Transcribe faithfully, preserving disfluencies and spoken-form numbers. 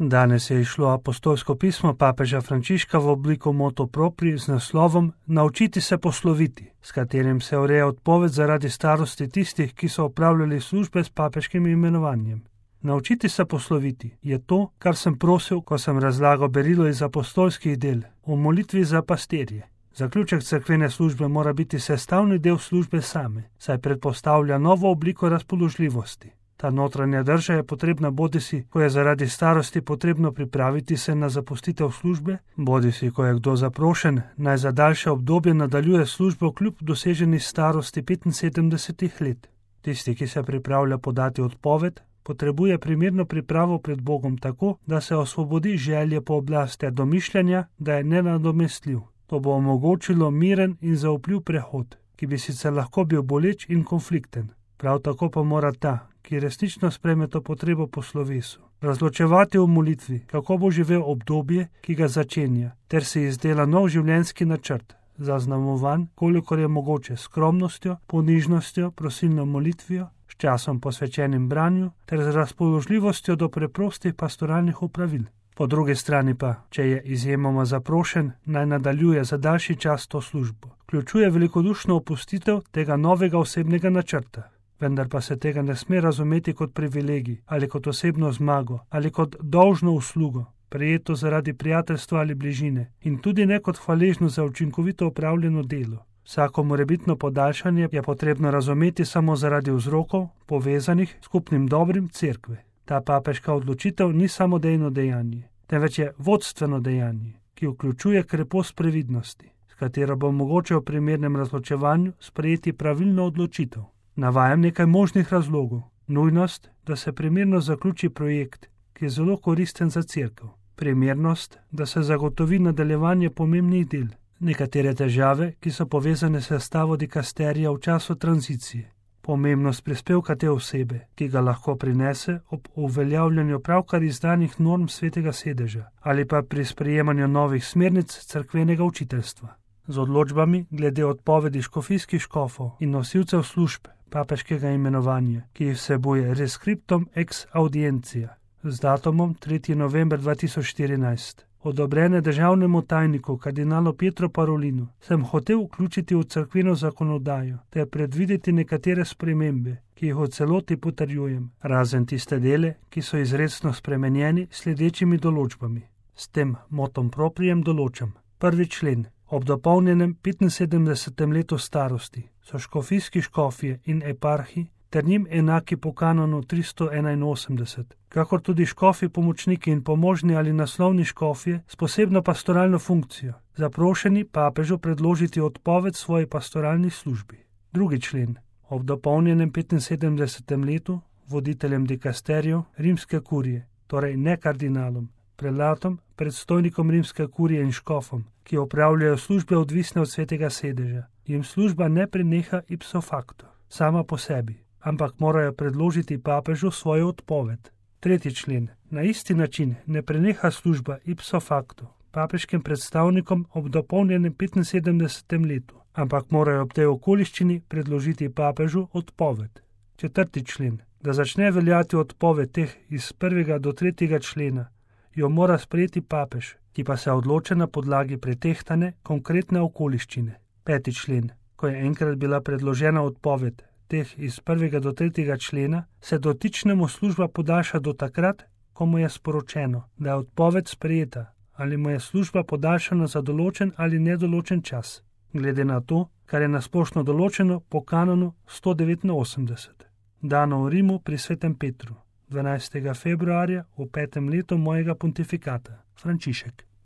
Danes je išlo apostolsko pismo papeža Frančiška v obliko motu proprii z naslovom Naučiti se posloviti, s katerim se ureja odpoved zaradi starosti tistih, ki so opravljali službe s papeškim imenovanjem. Naučiti se posloviti je to, kar sem prosil, ko sem razlagal berilo iz apostolskih del o molitvi za pastirje. Zaključek cerkvene službe mora biti sestavni del službe same, saj predpostavlja novo obliko razpoložljivosti. Ta notranja drža je potrebna bodisi, ko je zaradi starosti potrebno pripraviti se na zapustitev službe, bodisi, ko je kdo zaprošen, naj za daljše obdobje nadaljuje službo kljub doseženi starosti petinsedemdesetih let. Tisti, ki se pripravlja podati odpoved, potrebuje primerno pripravo pred Bogom tako, da se osvobodi želje po oblasti domišljanja, da je nenadomestljiv. To bo omogočilo miren in zaupljiv prehod, ki bi sicer lahko bil boleč in konflikten. Prav tako pa mora ta, ki resnično sprejme to potrebo po slovesu, razločevati v molitvi, kako bo živel obdobje, ki ga začenja, ter si izdela nov življenjski načrt, zaznamovan, kolikor je mogoče, skromnostjo, ponižnostjo, prosilno molitvijo, s časom posvečenim branju ter z razpoložljivostjo do preprostih pastoralnih opravil. Po drugi strani pa, če je izjemoma zaprošen, naj nadaljuje za daljši čas to službo. Vključuje velikodušno opustitev tega novega osebnega načrta. Vendar pa se tega ne sme razumeti kot privilegij ali kot osebno zmago ali kot dolžno uslugo, prejeto zaradi prijateljstva ali bližine in tudi ne kot hvaležno za učinkovito opravljeno delo. Vsako morebitno podaljšanje je potrebno razumeti samo zaradi vzrokov, povezanih s skupnim dobrim cerkve. Ta papeška odločitev ni samodejno dejanje, temveč je vodstveno dejanje, ki vključuje krepost previdnosti, s katero bo mogoče v primernem razločevanju sprejeti pravilno odločitev. Navajam nekaj možnih razlogov. Nujnost, da se primerno zaključi projekt, ki je zelo koristen za cerkev. Primernost, da se zagotovi nadaljevanje pomembnih del. Nekatere težave, ki so povezane s sestavo dikasterija v času tranzicije. Pomembnost prispevka te osebe, ki ga lahko prinese ob uveljavljanju pravkar izdanih norm svetega sedeža ali pa pri sprejemanju novih smernic cerkvenega učiteljstva. Z odločbami glede odpovedi škofijskih škofov in nosilcev služb papeškega imenovanja, ki jih vsebuje Rescriptum ex audientia z datumom tretji november dva tisoč štirinajst, odobrene državnemu tajniku kardinalu Pietro Parolinu, sem hotel vključiti v cerkveno zakonodajo ter predvideti nekatere spremembe, ki jih v celoti potrjujem, razen tiste dele, ki so izrecno spremenjeni sledečimi določbami. S tem motom proprijem določam. Prvi člen. Ob dopolnjenem petinsedemdesetem letu starosti so škofijski škofje in eparhi ter njim enaki po kanonu tristo enainosemdeset, kakor tudi škofi pomočniki in pomožni ali naslovni škofje s posebno pastoralno funkcijo, zaprošeni papežu predložiti odpoved svoji pastoralni službi. Drugi člen. Ob dopolnjenem petinsedemdesetem letu voditeljem dikasterijev rimske kurije, torej ne kardinalom, prelatom, predstojnikom rimske kurije in škofom, ki opravljajo službe odvisne od svetega sedeža, jim služba ne preneha ipso facto, sama po sebi, ampak morajo predložiti papežu svojo odpoved. Tretji člen. Na isti način ne preneha služba ipso facto papeškim predstavnikom ob dopolnjenem petinsedemdesetem letu, ampak morajo ob tej okoliščini predložiti papežu odpoved. Četrti člen. Da začne veljati odpoved teh iz prvega do tretjega člena, jo mora sprejeti papež, ki pa se odloča na podlagi pretehtane konkretne okoliščine. Peti člen. Ko je enkrat bila predložena odpoved teh iz prvega do tretjega člena, se dotičnemu služba podaljša do takrat, ko mu je sporočeno, da je odpoved sprejeta ali mu je služba podaljšana za določen ali nedoločen čas, glede na to, kar je nasplošno določeno po kanonu sto devetinosemdeset. Dano v Rimu pri svetem Petru, dvanajstega februarja v petem letu mojega pontifikata. Frančišek.